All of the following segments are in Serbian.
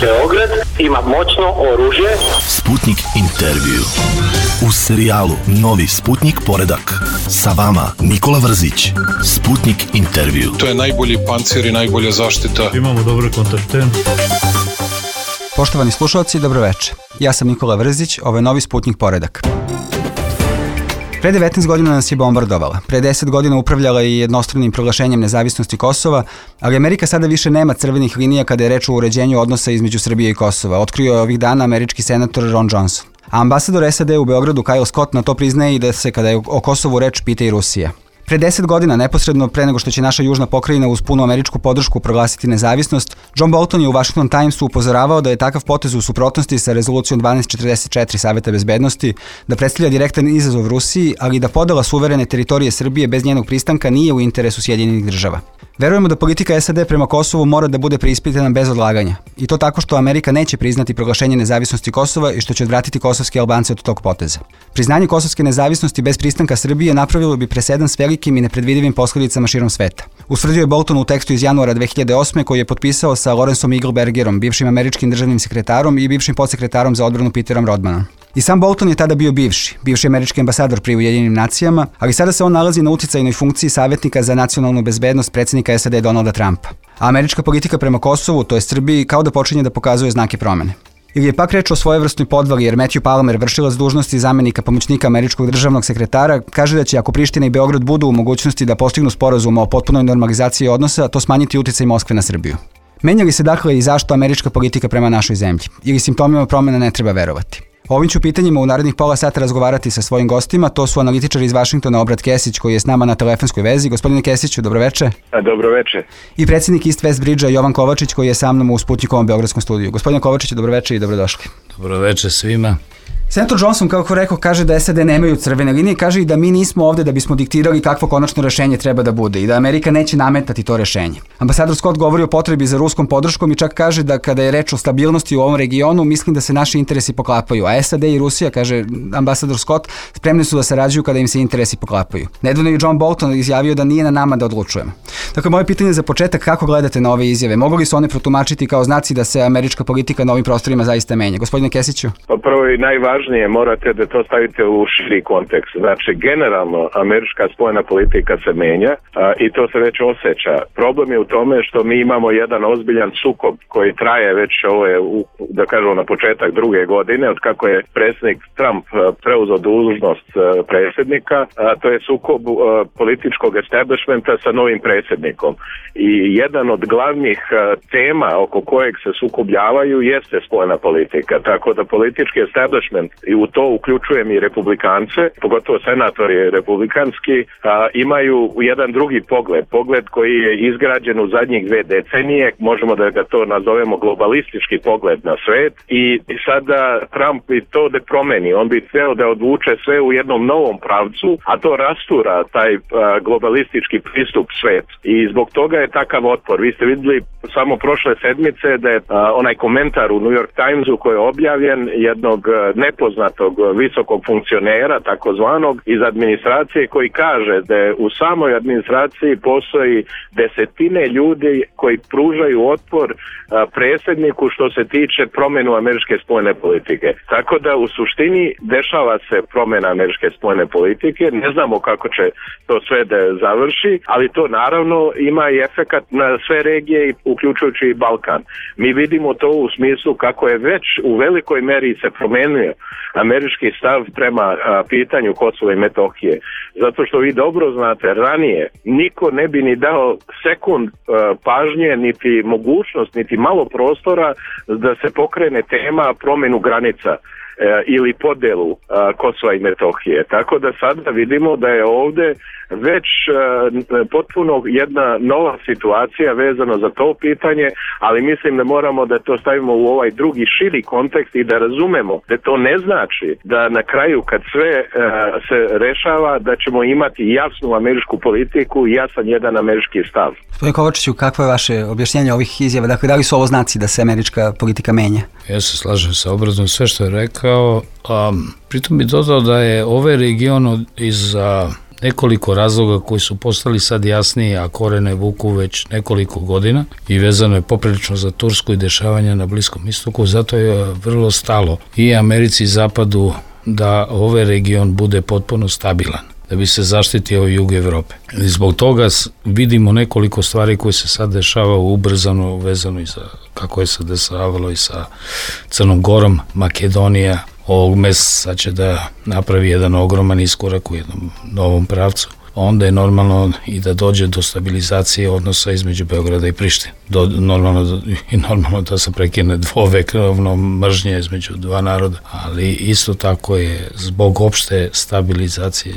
Beograd ima moćno oružje. Sputnik intervju. U serijalu Novi Sputnik poredak. Sa vama Nikola Vrzić. Sputnik intervju. To je najbolji pancir i najbolja zaštita. Imamo dobre kontakte. Poštovani slušalci, dobroveče. Ja sam Nikola Vrzić, ovo je Novi Sputnik poredak. Pre 19 godina nas je bombardovala. Pre 10 godina upravljala i jednostranim proglašenjem nezavisnosti Kosova, ali Amerika sada više nema crvenih linija kada je reč o uređenju odnosa između Srbije i Kosova. Otkrio je ovih dana američki senator Ron Johnson. A ambasador SAD u Beogradu Kyle Scott na to priznaje i da se kada je o Kosovu reč pita i Rusija. Pre 10 godina, neposredno pre nego što će naša južna pokrajina uz punu američku podršku proglasiti nezavisnost, John Bolton je u Washington Timesu upozoravao da je takav potez u suprotnosti sa rezolucijom 1244 Saveta bezbednosti, da predstavlja direktan izazov Rusiji, ali i da podela suverene teritorije Srbije bez njenog pristanka nije u interesu Sjedinjenih država. Verujemo da politika SAD prema Kosovu mora da bude preispitana bez odlaganja. I to tako što Amerika neće priznati proglašenje nezavisnosti Kosova i što će odvratiti kosovske Albance od tog poteza. Priznanje kosovske nezavisnosti bez pristanka Srbije napravilo bi presedan s velikim i nepredvidivim posledicama širom sveta. Usvrdio je Bolton u tekstu iz januara 2008. koji je potpisao sa Lawrenceom Eaglebergerom, bivšim američkim državnim sekretarom i bivšim podsekretarom za odbranu Peterom Rodmanom. I sam Bolton je tada bio bivši američki ambasador pri Ujedinjenim nacijama, ali sada se on nalazi na uticajnoj funkciji savjetnika za nacionalnu bezbednost predsjednika SAD Donalda Trumpa. A američka politika prema Kosovu, to je Srbiji, kao da počinje da pokazuje znake promene. Ili je pak reč o svojevrsnoj podvali jer Matthew Palmer, vršilac dužnosti zamenika pomoćnika američkog državnog sekretara, kaže da će ako Priština i Beograd budu u mogućnosti da postignu sporazum o potpunoj normalizaciji odnosa, to smanjiti uticaj Moskve na Srbiju. Menja li se dakle i zašto američka politika prema našoj zemlji? Ili simptomima promjena ne treba verovati? O ovim ću pitanjima u narednih pola sata razgovarati sa svojim gostima. To su analitičar iz Vašingtona Obrat Kesić koji je s nama na telefonskoj vezi. Gospodine Kesiću, dobroveče. Dobroveče. I predsjednik East West Bridge-a Jovan Kovačić koji je sa mnom u Sputnikovom beogradskom studiju. Gospodine Kovačiću, dobroveče i dobrodošli. Dobroveče svima. Senator Johnson, kako rekao, kaže da SAD nemaju crvene linije, kaže i da mi nismo ovde da bismo diktirali kakvo konačno rešenje treba da bude i da Amerika neće nametati to rešenje. Ambasador Scott govori o potrebi za ruskom podrškom i čak kaže da kada je reč o stabilnosti u ovom regionu, mislim da se naši interesi poklapaju, a SAD i Rusija, kaže ambasador Scott, spremni su da sarađuju kada im se interesi poklapaju. Nedavno je John Bolton izjavio da nije na nama da odlučujemo. Dakle, moje pitanje za početak, kako gledate na ove izjave? Mogu li se one protumačiti kao znaci da se američka politika na ovim prostorima zaista menja? Gospodine Kesiću? Prvo i najvažnije, morate da to stavite u širi kontekst. Znači, generalno, američka spoljna politika se menja i to se već osjeća. Problem je u tome što mi imamo jedan ozbiljan sukob koji traje već da kažemo na početak druge godine, od kako je predsjednik Trump preuzeo dužnost predsjednika, to je sukob političkog establishmenta sa novim predsjednikom. I jedan od glavnih tema oko kojeg se sukobljavaju jeste spoljna politika. Tako da politički establishment, i u to uključujem i republikance, pogotovo senatori republikanski, imaju jedan drugi pogled koji je izgrađen u zadnjih 2 decenije, možemo da ga to nazovemo globalistički pogled na svet, i sada Trump bi to da promeni, on bi hteo da odvuče sve u jednom novom pravcu, a to rastura taj globalistički pristup svet. I zbog toga je takav otpor. Vi ste vidjeli samo prošle sedmice da je onaj komentar u New York Timesu koji je objavljen jednog nepoznatog visokog funkcionera, takozvanog, iz administracije, koji kaže da je u samoj administraciji postoji desetine ljudi koji pružaju otpor predsjedniku što se tiče promjenu američke spoljne politike. Tako da u suštini dešava se promjena američke spoljne politike, ne znamo kako će to sve da završi, ali to naravno ima i efekat na sve regije, uključujući i Balkan. Mi vidimo to u smislu kako je već u velikoj meri se promenio američki stav prema pitanju Kosova i Metohije. Zato što vi dobro znate, ranije niko ne bi ni dao sekund pažnje, niti mogućnost, niti malo prostora da se pokrene tema promjenu granica ili podelu Kosova i Metohije. Tako da sada vidimo da je ovdje već potpuno jedna nova situacija vezano za to pitanje, ali mislim da moramo da to stavimo u ovaj drugi širi kontekst i da razumemo da to ne znači da na kraju kad sve se rešava da ćemo imati jasnu američku politiku i jasan jedan američki stav. Gospodine Kovačiću, kakvo je vaše objašnjenje ovih izjava? Dakle, da li su ovo znaci da se američka politika menja? Ja se slažem sa Obradom sve što je rekao, pritom bi dodao da je ovaj region iz nekoliko razloga koji su postali sad jasniji, a korene vuku već nekoliko godina i vezano je poprilično za Tursku i dešavanja na Bliskom istoku, zato je vrlo stalo i Americi i Zapadu da ovaj region bude potpuno stabilan, da bi se zaštitio jug Evrope. I zbog toga vidimo nekoliko stvari koje se sad dešava ubrzano, vezano i za kako je se dešavalo i sa Crnom Gorom. Makedonija ovog meseca će da napravi jedan ogroman iskorak u jednom novom pravcu. Onda je normalno i da dođe do stabilizacije odnosa između Beograda i Prištine. Normalno da se prekine dvovekovno mržnje između dva naroda, ali isto tako je zbog opšte stabilizacije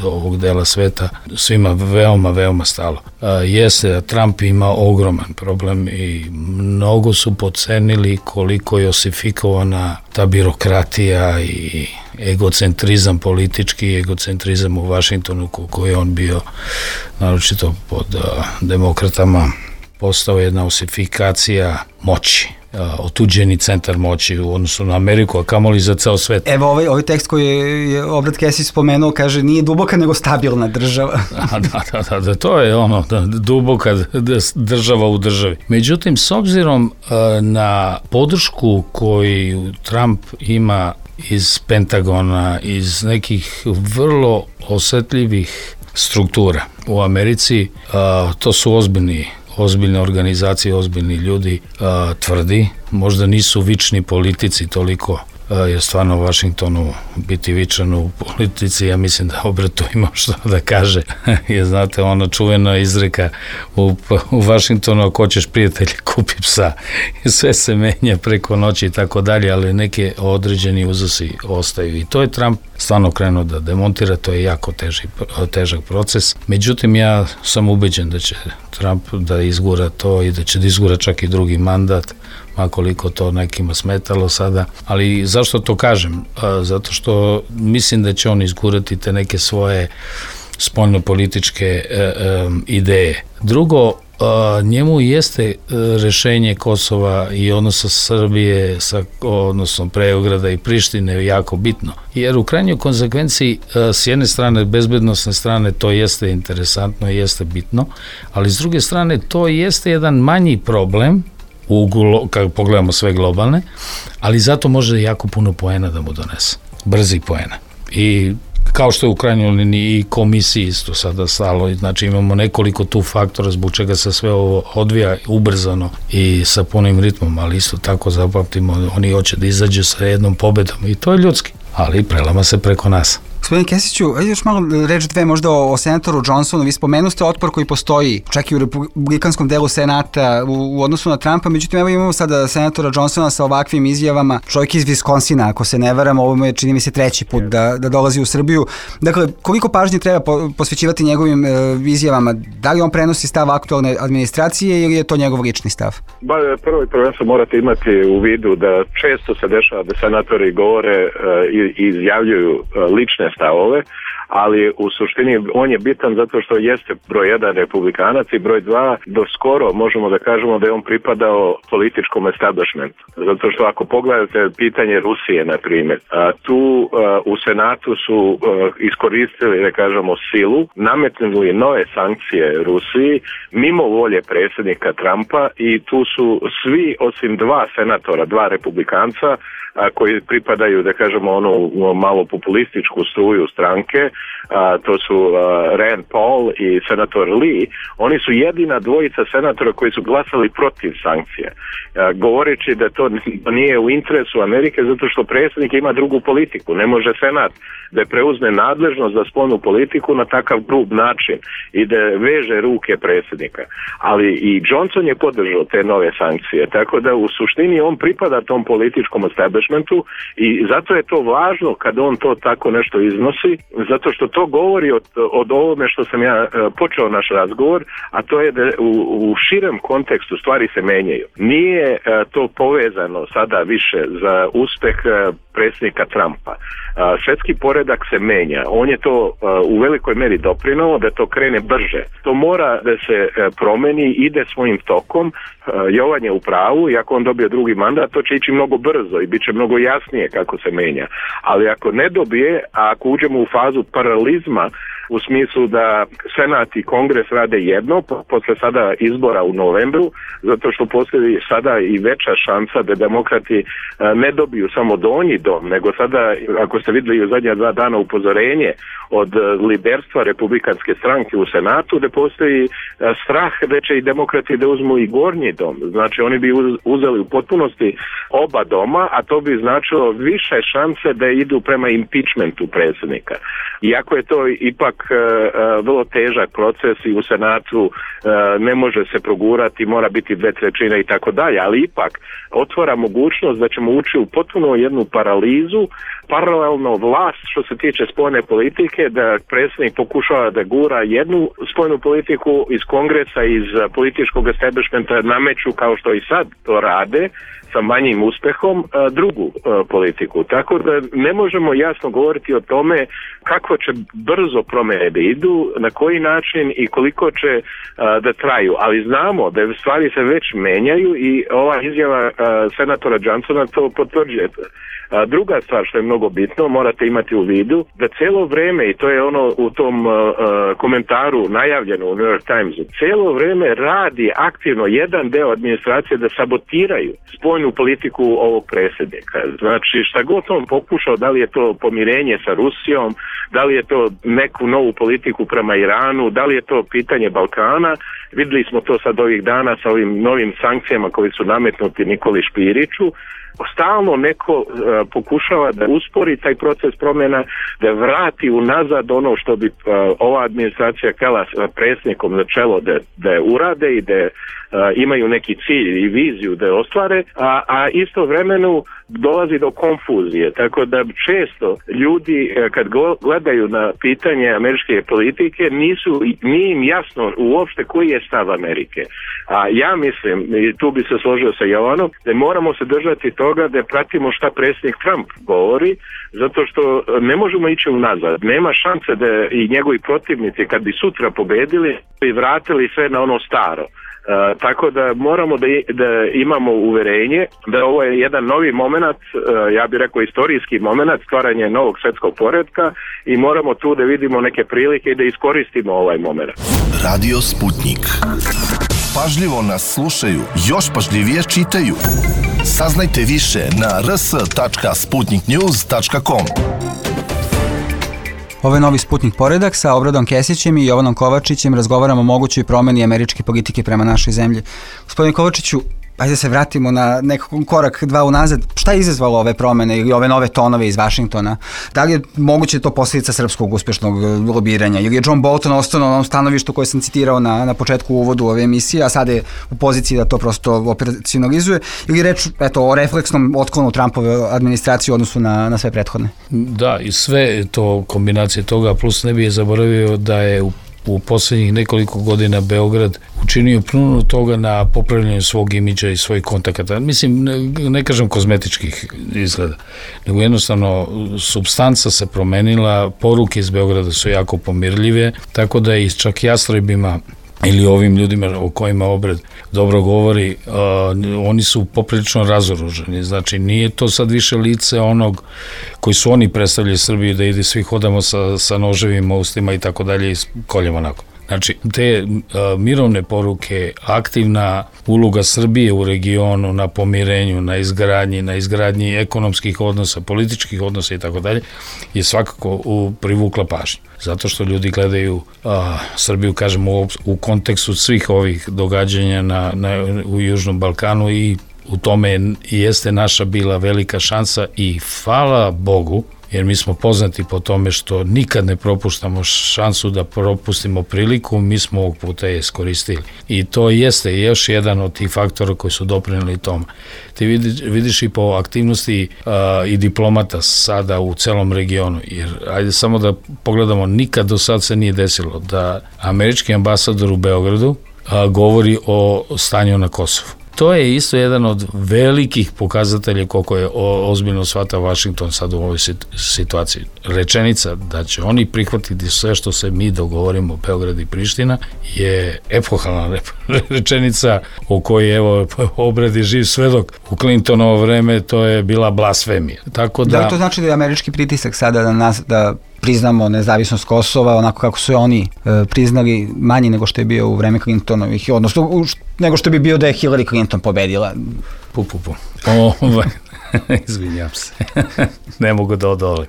ovog dela sveta svima veoma stalo. Jeste, Trump ima ogroman problem i mnogo su podcenili koliko je osifikovana ta birokratija i egocentrizam politički, egocentrizam u Vašingtonu koji je on bio, naročito pod demokratama, postao jedna osifikacija moći, otuđeni centar moći u odnosu na Ameriku, a kamoli za ceo svet. Evo ovaj tekst koji je Obrat Kesić spomenuo, kaže nije duboka nego stabilna država. Da, to je ono, duboka država u državi. Međutim, s obzirom na podršku koju Trump ima iz Pentagona, iz nekih vrlo osetljivih struktura u Americi, to su ozbiljne organizacije, ozbiljni ljudi, tvrdi, možda nisu vični politici toliko, jer stvarno u Vašingtonu biti vičan u politici, ja mislim da Obrat tu ima što da kaže. Jer znate, ona čuvena izreka u Vašingtonu, ako hoćeš prijatelje, kupi psa. I sve se menja preko noći i tako dalje, ali neke određeni uzusi ostaju. I to je Trump stvarno krenuo da demontira, to je jako težak proces. Međutim, ja sam ubeđen da će Trump da izgura to i da će da izgura čak i drugi mandat, makoliko to nekima smetalo sada. Ali zašto to kažem? Zato što mislim da će on izgurati te neke svoje spoljnopolitičke ideje. Drugo, njemu jeste rešenje Kosova i odnosa Srbije sa odnosom Beograda i Prištine jako bitno. Jer u krajnjoj konsekvenciji s jedne strane, bezbednosne strane, to jeste interesantno i jeste bitno, ali s druge strane to jeste jedan manji problem kako pogledamo sve globalne, ali zato može jako puno poena da mu donese. Brzi poena. I kao što je u krajnjoj liniji i komisiji isto sada stalo, znači imamo nekoliko tu faktora zbog čega se sve ovo odvija ubrzano i sa punim ritmom, ali isto tako zapamtimo, oni hoće da izađe sa jednom pobedom i to je ljudski, ali prelama se preko nas. Gospodine Kesiću, još malo reč dve možda o senatoru Johnsonu. Vi spomenuste otpor koji postoji čak i u republikanskom delu senata u odnosu na Trumpa, međutim evo imamo sada senatora Johnsona sa ovakvim izjavama, čovjek iz Viskonsina, ako se ne varam, ovo mu je čini mi se treći put da dolazi u Srbiju. Dakle, koliko pažnje treba posvećivati njegovim izjavama? Da li on prenosi stav aktualne administracije ili je to njegov lični stav? Prvo i prvenstveno morate imati u vidu da često se dešava da senatori govore i izjavljuju lične stavove, ali u suštini on je bitan zato što jeste broj 1 republikanac i broj 2 do skoro možemo da kažemo da je on pripadao političkom establishmentu. Zato što ako pogledate pitanje Rusije, na primjer, tu u Senatu su iskoristili, da kažemo, silu, nametnuli nove sankcije Rusiji mimo volje predsjednika Trumpa i tu su svi osim dva senatora, dva republikanca koji pripadaju, da kažemo, onu malo populističku struju stranke, to su Rand Paul i senator Lee, oni su jedina dvojica senatora koji su glasali protiv sankcija, govoreći da to nije u interesu Amerike zato što predsjednik ima drugu politiku. Ne može senat da preuzme nadležnost za spoljnu politiku na takav grub način i da veže ruke predsjednika. Ali i Johnson je podržao te nove sankcije, tako da u suštini on pripada tom političkom establishmentu i zato je to važno kad on to tako nešto iznosi, zato što to govori od ovome što sam ja počeo naš razgovor, a to je da u širem kontekstu stvari se menjaju. Nije to povezano sada više za uspeh predsjednika Trumpa. Svetski poredak se menja. On je to u velikoj meri doprinao da to krene brže. To mora da se promeni, ide svojim tokom. Jovan je u pravu i ako on dobije drugi mandat, to će ići mnogo brzo i bit će mnogo jasnije kako se menja. Ali ako ne dobije, a ako uđemo u fazu paralizma, u smislu da Senat i Kongres rade jedno, posle sada izbora u novembru, zato što postoji sada i veća šansa da demokrati ne dobiju samo donji dom, nego sada, ako ste vidjeli u zadnja 2 dana upozorenje od liderstva Republikanske stranke u Senatu, da postoji strah da će i demokrati da uzmu i gornji dom. Znači oni bi uzeli u potpunosti oba doma, a to bi značilo više šanse da idu prema impeachmentu predsjednika. Iako je to ipak vrlo težak proces i u Senatu ne može se progurati, mora biti 2/3 i tako dalje, ali ipak otvara mogućnost da ćemo ući u potpuno jednu paralizu, paralelno vlast što se tiče spoljne politike, da predsjednik pokušava da gura jednu spoljnu politiku iz Kongresa, iz političkog establishmenta nameću kao što i sad to rade, sa manjim uspehom drugu politiku. Tako da ne možemo jasno govoriti o tome kako će brzo promjene da idu, na koji način i koliko će da traju. Ali znamo da stvari se već menjaju i ova izjava senatora Johnsona to potvrđuje. Druga stvar što je mnogo bitno, morate imati u vidu da cijelo vrijeme, i to je ono u tom komentaru najavljeno u New York Timesu, cijelo vrijeme radi aktivno jedan deo administracije da sabotiraju spoljnu politiku ovog predsjednika. Znači šta god on pokušao, da li je to pomirenje sa Rusijom, da li je to neku novu politiku prema Iranu, da li je to pitanje Balkana, vidjeli smo to sad ovih dana sa ovim novim sankcijama koji su nametnuti Nikoli Špiriću. Stalno neko pokušava da uspori taj proces promjena, da vrati unazad ono što bi ova administracija htjela predsjednikom na čelo da urade i da imaju neki cilj i viziju da je ostvare, a istovremeno dolazi do konfuzije. Tako da često ljudi kad gledaju na pitanje američke politike nije im jasno uopšte koji je stav Amerike. A ja mislim, i tu bi se složio sa Jovanom, da moramo se držati toga da pratimo šta predsjednik Trump govori, zato što ne možemo ići unazad. Nema šanse da i njegovi protivnici kad bi sutra pobedili i vratili sve na ono staro. Tako da moramo da imamo uverenje da ovo je jedan novi moment, ja bih rekao istorijski moment, stvaranje novog svjetskog poretka i moramo tu da vidimo neke prilike i da iskoristimo ovaj moment. Radio Sputnik. Pažljivo nas slušaju, još pažljivije čitaju. Saznajte više na rs.sputniknews.com. Ovo je novi Sputnik poredak sa Obradom Kesićem i Jovanom Kovačićem. Razgovaramo o mogućoj promjeni američke politike prema našoj zemlji. Gospodine Kovačiću, ajde se vratimo na nekako korak 2 unazad. Šta je izazvalo ove promjene ili ove nove tonove iz Vašingtona? Da li je moguće to posljedica srpskog uspješnog lobiranja? Ili je John Bolton ostao na onom stanovištu koje sam citirao na početku uvodu ove emisije, a sada je u poziciji da to prosto operacionalizuje? Ili reč o refleksnom otklonu Trumpove administracije u odnosu na sve prethodne? Da, i sve to kombinacije toga, plus ne bih zaboravio da je u posljednjih nekoliko godina Beograd učinio puno toga na popravljanju svog imidža i svojih kontakata. Mislim, ne kažem kozmetičkih izgleda, nego jednostavno supstanca se promenila, poruke iz Beograda su jako pomirljive, tako da i čak jastrojbima ili ovim ljudima o kojima Obrad dobro govori, oni su poprilično razoruženi. Znači, nije to sad više lice onog koji su oni predstavljali Srbiju, da ide svi hodamo sa noževima, ustima i tako dalje i koljemo onako. Znači, te mirovne poruke, aktivna uloga Srbije u regionu na pomirenju, na izgradnji ekonomskih odnosa, političkih odnosa i tako dalje, je svakako privukla pažnju. Zato što ljudi gledaju Srbiju, kažemo, u kontekstu svih ovih događanja u Južnom Balkanu i u tome jeste naša bila velika šansa i hvala Bogu, jer mi smo poznati po tome što nikad ne propuštamo šansu da propustimo priliku, mi smo ovog puta je iskoristili. I to jeste još jedan od tih faktora koji su doprinijeli tome. Ti vidiš i po aktivnosti i diplomata sada u celom regionu, jer ajde samo da pogledamo, nikad do sad se nije desilo da američki ambasador u Beogradu govori o stanju na Kosovu. To je isto jedan od velikih pokazatelja koliko je ozbiljno shvata Washington sad u ovoj situaciji. Rečenica da će oni prihvatiti sve što se mi dogovorimo, Beograd i Priština, je epohalna rečenica o kojoj evo Obrad je živ svedok. U Clintonovo vreme to je bila blasfemija. Tako da li to znači da je američki pritisak sada na nas da priznamo nezavisnost Kosova onako kako su oni priznali, manji nego što je bio u vreme Clintonovih, odnosno nego što bi bio da je Hillary Clinton pobedila. Izvinjam se. Ne mogu da odolim.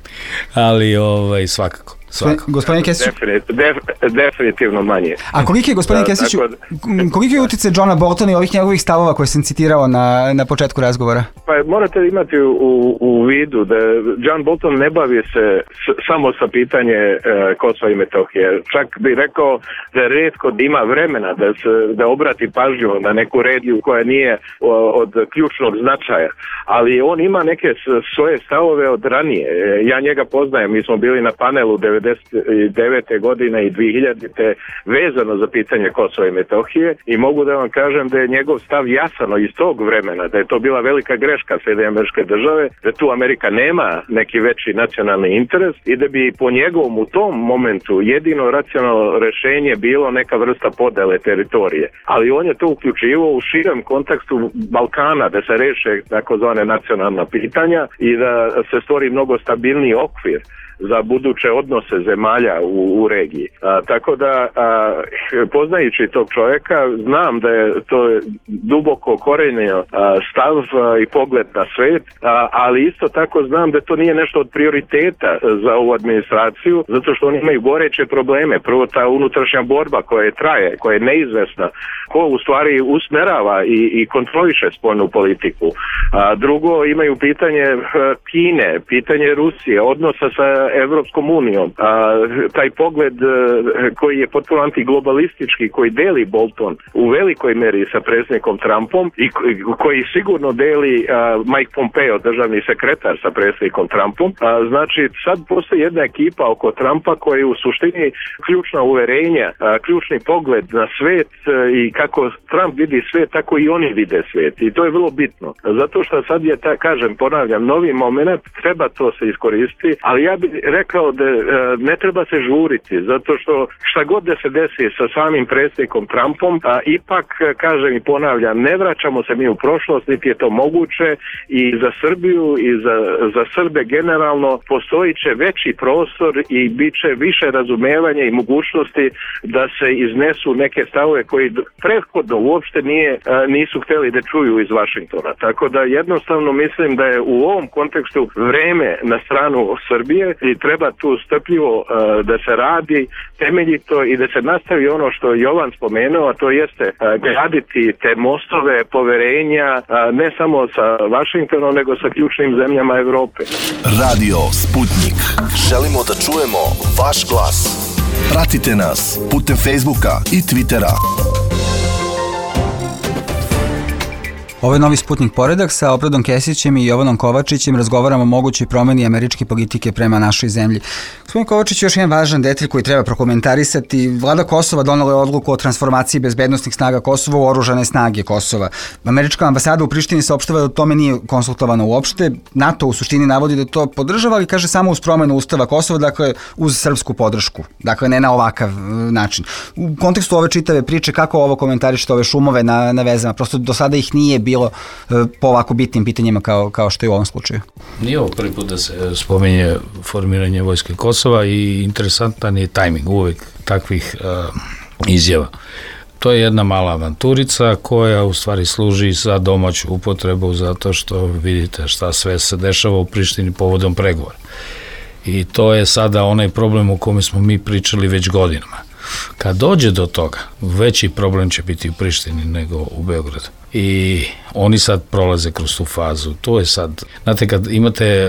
Ali svakako. Gospodine Kesiću? Definitivno manje. A koliki je, gospodine Kesiću, koliki je utjecaj Johna Boltona i ovih njegovih stavova koje sam citirao na početku razgovora? Pa morate imati u vidu da John Bolton ne bavi se samo sa pitanje Kosova i Metohije. Čak bi rekao da je retko da ima vremena da obrati pažnju na neku regiju koja nije od ključnog značaja. Ali on ima neke svoje stavove od ranije. Ja njega poznajem, mi smo bili na panelu 1999. godine i 2000. vezano za pitanje Kosova i Metohije i mogu da vam kažem da je njegov stav jasano iz tog vremena, da je to bila velika greška Sjedinjenih Američke Države, da tu Amerika nema neki veći nacionalni interes i da bi po njegovom u tom momentu jedino racionalno rešenje bilo neka vrsta podele teritorije. Ali on je to uključivao u širem kontekstu Balkana, da se reše takozvane nacionalna pitanja i da se stvori mnogo stabilniji okvir za buduće odnose zemalja u regiji. Tako da, poznajući tog čovjeka, znam da je to duboko korenio stav i pogled na svet, ali isto tako znam da to nije nešto od prioriteta za ovu administraciju, zato što oni imaju goreće probleme. Prvo, ta unutrašnja borba koja traje, koja je neizvesna, ko u stvari usmerava i kontroliše spoljnu politiku. Drugo, imaju pitanje Kine, pitanje Rusije, odnosa sa Evropskom unijom. Taj pogled koji je potpuno antiglobalistički, koji deli Bolton u velikoj meri sa predsjednikom Trumpom i koji sigurno deli Mike Pompeo, državni sekretar, sa predsjednikom Trumpom. Znači, sad postoji jedna ekipa oko Trumpa koja je u suštini ključna uverenja, ključni pogled na svet i kako Trump vidi svet, tako i oni vide svet. I to je vrlo bitno. Zato što sad je, ponavljam, novi moment, treba to se iskoristiti, ali ja bih rekao da ne treba se žuriti, zato što šta god da se desi sa samim predsjednikom Trumpom, ipak, kažem i ponavljam, ne vraćamo se mi u prošlost, niti je to moguće i za Srbiju i za Srbe generalno postoji će veći prostor i bit će više razumevanja i mogućnosti da se iznesu neke stavove koji prethodno uopšte nisu htjeli da čuju iz Vašingtona. Tako da jednostavno mislim da je u ovom kontekstu vreme na stranu Srbije i treba tu strpljivo da se radi temeljito i da se nastavi ono što je Jovan spomenuo, a to jeste graditi te mostove poverenja ne samo sa Vašingtonom, nego sa ključnim zemljama Evrope. Radio Sputnik. Želimo da čujemo vaš glas. Pratite nas putem Facebooka i Twittera. Ovo je Novi Sputnik Poredak sa Opredom Kesićem i Jovanom Kovačićem. Razgovaramo o mogućoj promeni američke politike prema našoj zemlji. Gospodin Kovačić, još jedan važan detalj koji treba prokomentarisati. Vlada Kosova donela je odluku o transformaciji bezbednosnih snaga Kosova u oružane snage Kosova. Američka ambasada u Prištini saopštava da o tome nije konsultovano uopšte. NATO u suštini navodi da to podržava, ali kaže samo uz promenu Ustava Kosova, dakle uz srpsku podršku. Dakle, ne na ovakav način. U kontekstu ove čitave priče, kako ovo komentarišete, ove šumove na vezama? Prosto do sada ih nije bilo po ovako bitnim pitanjima kao što je u ovom slučaju. Nije ovo prvi put da se spominje formiranje vojske Kosova i interesantan je tajming uvek takvih izjava. To je jedna mala avanturica koja u stvari služi za domaću upotrebu zato što vidite šta sve se dešava u Prištini povodom pregovora. I to je sada onaj problem o kome smo mi pričali već godinama. Kad dođe do toga, veći problem će biti u Prištini nego u Beogradu. I oni sad prolaze kroz tu fazu. To je sad, znate, kad imate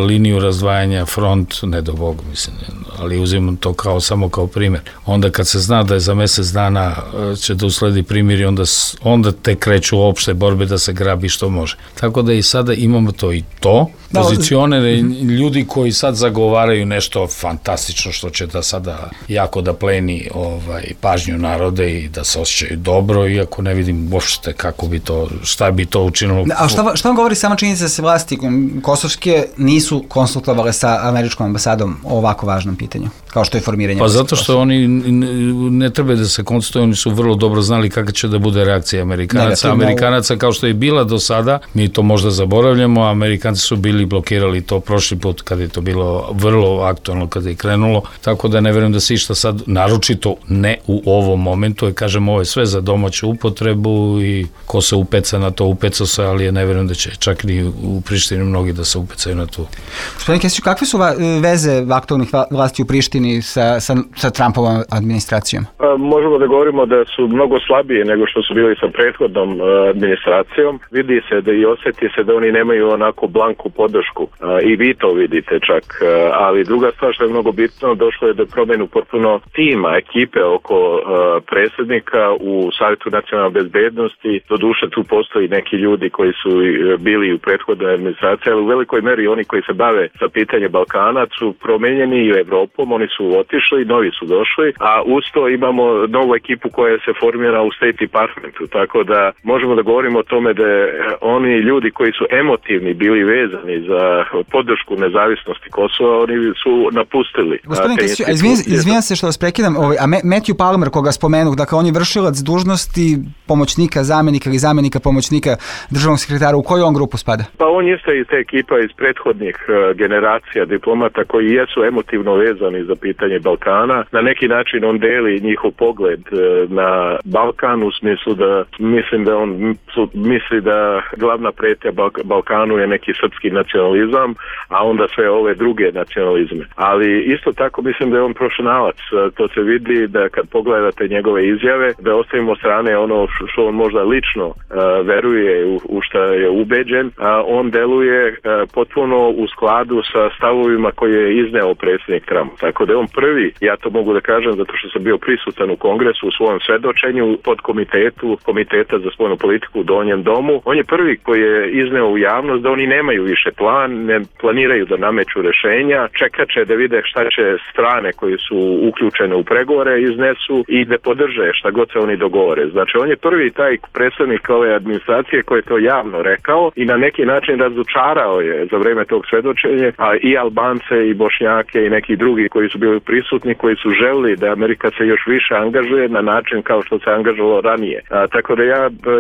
liniju razdvajanja, front, ne do Boga, mislim, ali uzimam to samo kao primjer. Onda kad se zna da je za mesec dana će da usledi primirje, onda te kreću opšte borbe da se grabi što može. Tako da i sada imamo to i to. Pozicionere ljudi koji sad zagovaraju nešto fantastično što će da sada jako da pleni pažnju narode i da se osjećaju dobro, iako ne vidim uopšte kako bi to, šta bi to učinilo. A šta vam govori sama činjenica da se vlasti kosovske nisu konsultovale sa američkom ambasadom o ovako važnom pitanju, kao što je formiranje? Pa zato što oni ne treba da se konsultuju, oni su vrlo dobro znali kakva će da bude reakcija Amerikanaca, kao što je bila do sada, mi to možda zaboravljamo, Amerikanci su bili blokirali to prošli put kad je to bilo vrlo aktualno, kad je krenulo, tako da ne verujem da se išta sad, naročito ne u ovom momentu, jer kažem, ovo je sve za domaću upotrebu i ko se upeca na to, upecao se, ali ne verujem da će čak ni u Prištini mnogi da se upecaju na to. Gospodin Kesiću, kakve su veze aktualnih vlasti u Prištini sa Trumpovom administracijom? Možemo da govorimo da su mnogo slabije nego što su bili sa prethodnom administracijom. Vidi se da i osjeti se da oni nemaju onako blanku podršku i vi to vidite čak, ali druga stvar što je mnogo bitno, došlo je do promjenu potpuno tima, ekipe oko predsjednika u Savjetu nacionalne bezbednosti. Doduše tu postoji neki ljudi koji su bili u prethodnoj administraciji, ali u velikoj meri oni koji se bave sa pitanjem Balkana su promenjeni i u Evropom, oni su otišli, novi su došli, a uz to imamo novu ekipu koja se formira u State Departmentu, tako da možemo da govorimo o tome da oni ljudi koji su emotivni bili vezani za podršku nezavisnosti Kosova, oni su napustili. Gospodin Kesić, izvinjam se što vas prekidam, a Matthew Palmer, koga spomenuh, dakle on je vršilac dužnosti pomoćnika, zamenika ili zamenika pomoćnika državnog sekretara, u koju on grupu spada? Pa on jeste iz te ekipa iz prethodnih generacija diplomata koji jesu emotivno vezani za pitanje Balkana. Na neki način on deli njihov pogled na Balkan u smislu da mislim da on misli da glavna pretnja Balkanu je neki srpski nacionalizam, a onda sve ove druge nacionalizme. Ali isto tako mislim da je on profesionalac. To se vidi da kad pogledate njegove izjave, da ostavimo strane ono što on možda lično veruje, u što je ubeđen, a on deluje potpuno u skladu sa stavovima koje je izneo predsjednik Trump. Tako da je on prvi, ja to mogu da kažem zato što sam bio prisutan u Kongresu u svojom svedočenju pod Komiteta za spoljnu politiku u Donjem domu. On je prvi koji je izneo u javnost da oni nemaju više plan, ne planiraju da nameću rešenja, čekat će da vide šta će strane koje su uključene u pregovore iznesu i da podrže šta god se oni dogovore. Znači on je prvi taj predstavnik ove administracije koji je to javno rekao i na neki način razočarao je za vreme tog svedočenja, a i Albance i Bošnjake i neki drugi koji su bili prisutni, koji su želili da Amerika se još više angažuje na način kao što se angažovalo ranije. Tako da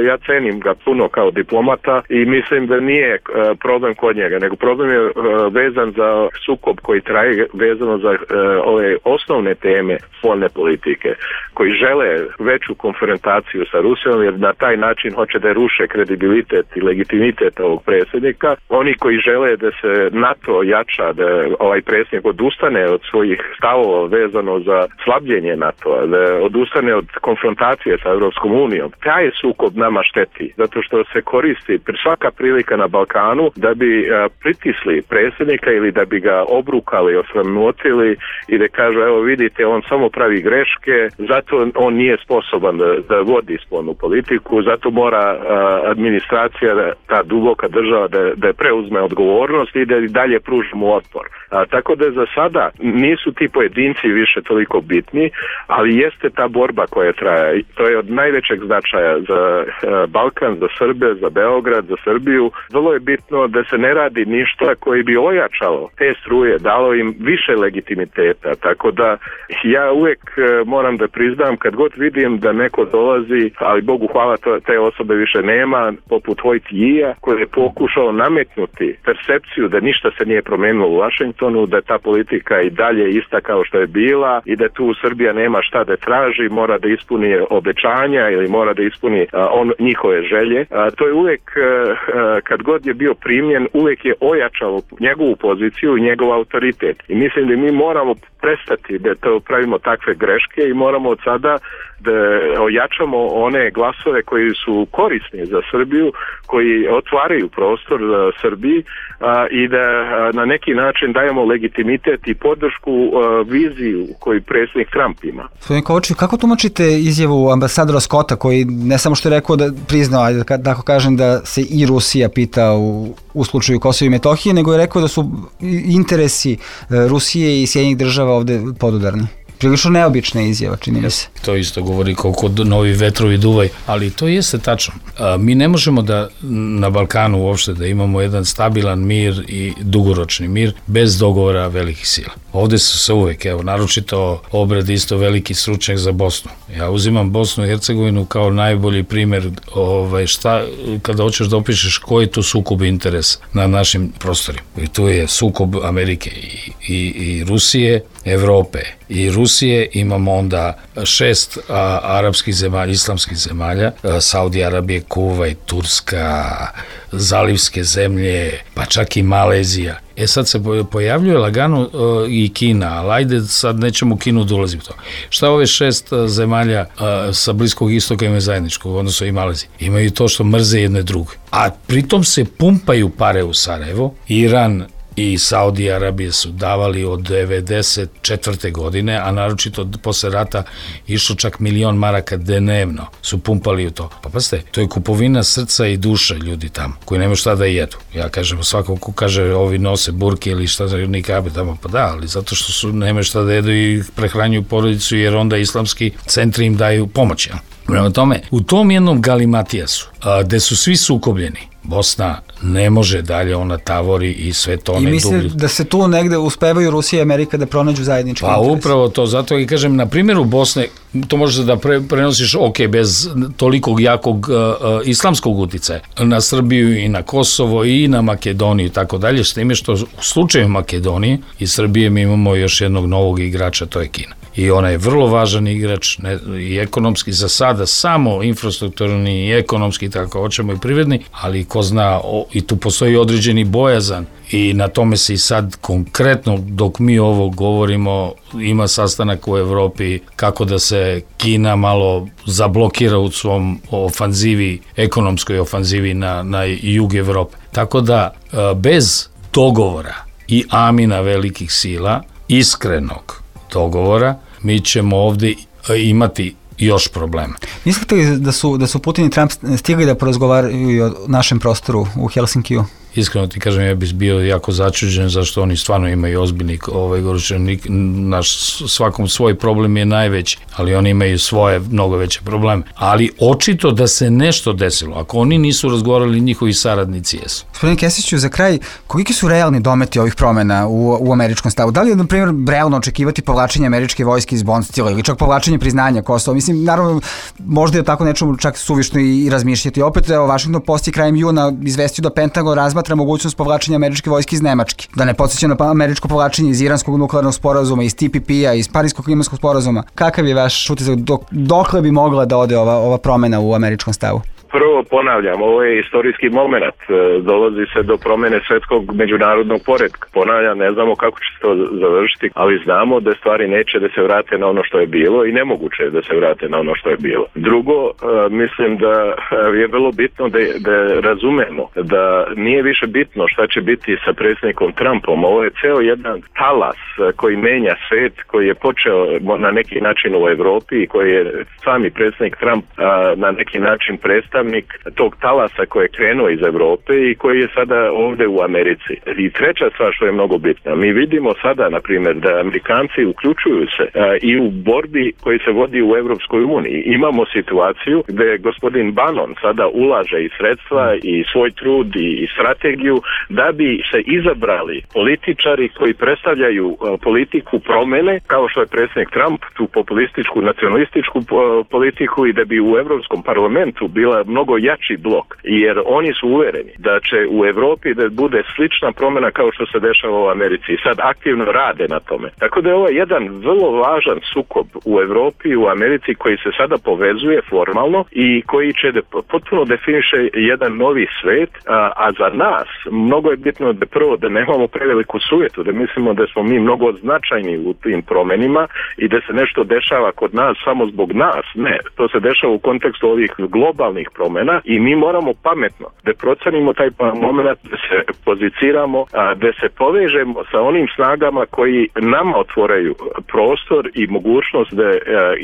ja cenim ga puno kao diplomata i mislim da nije problem kod njega, nego problem je vezan za sukob koji traje, vezano za ove osnovne teme spoljne politike, koji žele veću konfrontaciju sa Rusijom jer na taj način hoće da ruše kredibilitet i legitimitet ovog predsjednika. Oni koji žele da se NATO jača, da ovaj predsjednik odustane od svojih stavova vezano za slabljenje NATO-a, da odustane od konfrontacije sa Europskom unijom. Taj sukob nama šteti, zato što se koristi svaka prilika na Balkanu da bi pritisli predsjednika ili da bi ga obrukali, osramotili i da kažu, evo vidite, on samo pravi greške, zato on nije sposoban da vodi spoljnu politiku, zato mora administracija, ta duboka država da preuzme odgovornost i da i dalje pružimo otpor. Tako da za sada nisu ti pojedinci više toliko bitni, ali jeste ta borba koja traje. To je od najvećeg značaja za Balkan, za Srbe, za Beograd, za Srbiju. Vrlo je bitno da se ne radi ništa koji bi ojačalo te struje, dalo im više legitimiteta. Tako da ja uvijek moram da priznam kad god vidim da neko dolazi, ali Bogu hvala te osobe više nema, poput Hojt-Jija, koji je pokušao nametnuti percepciju da ništa se nije promenilo u Vašingtonu, da ta politika i dalje ista kao što je bila i da tu Srbija nema šta da traži, mora da ispuni obećanja ili mora da ispuni njihove želje. To je uvijek, kad god je bio primljen, uvijek je ojačalo njegovu poziciju i njegov autoritet. I mislim da mi moramo prestati da to pravimo takve greške i moramo od sada da ojačamo one glasove koji su korisni za Srbiju, koji otvaraju prostor za Srbiji i da na neki način dajemo legitimitet i podršku viziju koju predsjednik Trump ima. Gospodin Kovačević, kako tumačite izjavu ambasadora Scotta koji ne samo što je rekao da priznao, da ako kažem da se i Rusija pita u slučaju Kosova i Metohije, nego je rekao da su interesi Rusije i Sjedinjenih država ovde podudarni? Prilično neobična izjava, čini mi se. To isto govori koliko novi vetrovi duvaju, ali to jeste tačno. Mi ne možemo da na Balkanu uopšte da imamo jedan stabilan mir i dugoročni mir bez dogovora velikih sila. Ovde su se uvek, evo, naročito Obred isto veliki stručnjak za Bosnu. Ja uzimam Bosnu i Hercegovinu kao najbolji primer kada hoćeš da opišeš koji je to sukob interesa na našim prostorima. I tu je sukob Amerike i Rusije, Evrope i Rusije, imamo onda 6 arapskih zemalja, islamskih zemalja, Saudi Arabije, Kuvajt, Turska, zalivske zemlje, pa čak i Malezija. Sad se pojavljuje lagano i Kina, ali ajde sad nećemo Kinu da ulazim u to. Šta ove 6 zemalja sa Bliskog istoka imaju zajedničkog, odnosno i Malezija? Imaju to što mrze jedne druge. A pritom se pumpaju pare u Sarajevo. Iran i Saudi Arabije su davali od 94. godine, a naročito posle rata išlo čak 1.000.000 maraka dnevno su pumpali u to. Pa pazite, to je kupovina srca i duše ljudi tamo, koji nemaju šta da jedu. Ja kažem, svako ko kaže ovi nose burke ili šta za nikabe tamo, pa da, ali zato što nemaju šta da jedu i prehranjuju porodicu, jer onda islamski centri im daju pomoć. Prema tome, u tom jednom galimatijasu, gde su svi sukobljeni, Bosna ne može dalje, ona tavori i sve to ne dublje. I mislim da se tu negde uspevaju Rusija i Amerika da pronađu zajednički interes. Pa upravo to, zato i kažem, na primjeru Bosne, to možeš da prenosiš, bez tolikog jakog islamskog uticaja, na Srbiju i na Kosovo i na Makedoniju i tako dalje, s time što u slučaju Makedonije i Srbije mi imamo još jednog novog igrača, to je Kina. I ona je vrlo važan igrač i ekonomski za sada, samo infrastrukturni i ekonomski, tako hoćemo i privredni, ali ko zna, i tu postoji određeni bojazan i na tome se i sad konkretno, dok mi ovo govorimo, ima sastanak u Evropi kako da se Kina malo zablokira u svom ofanzivi, ekonomskoj ofanzivi na jug Evrope. Tako da, bez dogovora i amina velikih sila, iskrenog dogovora, mi ćemo ovde imati još problema. Mislite li da su Putin i Trump stigli da porazgovaraju o našem prostoru u Helsinkiju? Iskreno ti kažem, ja bih bio jako začuđen zašto oni stvarno imaju ozbiljni naš svakom svoj problem je najveći, ali oni imaju svoje mnogo veće probleme. Ali očito da se nešto desilo. Ako oni nisu razgovarali, njihovi saradnici jesu. Gospodine Kesiću, za kraj, koliki su realni dometi ovih promena u američkom stavu? Da li je, na primjer, realno očekivati povlačenje američke vojske iz Bond stila ili čak povlačenje priznanja Kosova? Mislim, naravno, možda je tako nečemu čak suvišno i razmišljati. Opet, Washington Post je krajem juna izvestio da Pentagon razmatra mogućnost povlačenja američke vojske iz Nemačke. Da ne podsjeća na američko povlačenje iz iranskog nuklearnog sporazuma, iz TPP-a, iz Parijskog klimatskog sporazuma. Kakav je vaš utisak, dokle bi mogla da ode ova promena u američkom stavu? Prvo ponavljam, ovo je istorijski moment, dolazi se do promene svetskog međunarodnog poretka. Ponavljam, ne znamo kako će se to završiti, ali znamo da stvari neće da se vrate na ono što je bilo i nemoguće je da se vrate na ono što je bilo. Drugo, mislim da je vrlo bitno da razumemo da nije više bitno šta će biti sa predsjednikom Trumpom. Ovo je ceo jedan talas koji menja svet, koji je počeo na neki način u Evropi i koji je sami predsjednik Trump na neki način predstavnik tog talasa koji je krenuo iz Evrope i koji je sada ovde u Americi. I treća stvar što je mnogo bitna, mi vidimo sada, na primjer, da Amerikanci uključuju se i u borbi koji se vodi u Evropskoj uniji. Imamo situaciju gde gospodin Bannon sada ulaže i sredstva i svoj trud i strategiju da bi se izabrali političari koji predstavljaju politiku promene, kao što je predsjednik Trump, tu populističku, nacionalističku politiku, i da bi u Evropskom parlamentu bila mnogo jači blok, jer oni su uvereni da će u Evropi da bude slična promjena kao što se dešava u Americi i sad aktivno rade na tome. Tako da je ovo jedan vrlo važan sukob u Evropi i u Americi koji se sada povezuje formalno i koji će potpuno definiše jedan novi svet, a za nas mnogo je bitno da prvo da nemamo preveliku sujetu, da mislimo da smo mi mnogo značajni u tim promenima i da se nešto dešava kod nas samo zbog nas. Ne, to se dešava u kontekstu ovih globalnih promena promjena i mi moramo pametno da procenimo taj moment, da se poziciramo, da se povežemo sa onim snagama koji nama otvoraju prostor i mogućnost da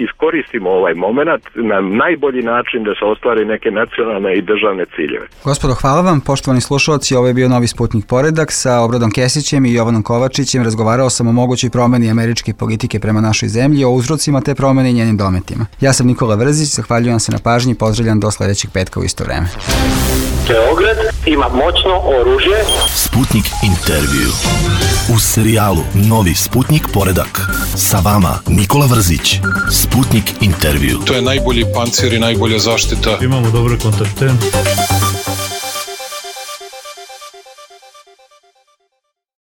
iskoristimo ovaj moment na najbolji način da se ostvari neke nacionalne i državne ciljeve. Gospodo, hvala vam. Poštovani slušalci, ovo je bio Novi Sputnik Poredak sa Obradom Kesićem i Jovanom Kovačićem. Razgovarao sam o mogućoj promeni američke politike prema našoj zemlji, o uzrocima te promene i njenim dometima. Ja sam Nikola Vrzić, zahvaljujem se na pažnji i pozdravljam do sledećeg petka u isto vreme. Beograd ima moćno oružje. Sputnik intervju. U serijalu Novi Sputnik Poredak. Sa vama Nikola Vrzić. Sputnik intervju. To je najbolji pancir i najbolja zaštita. Imamo dobre kontakte.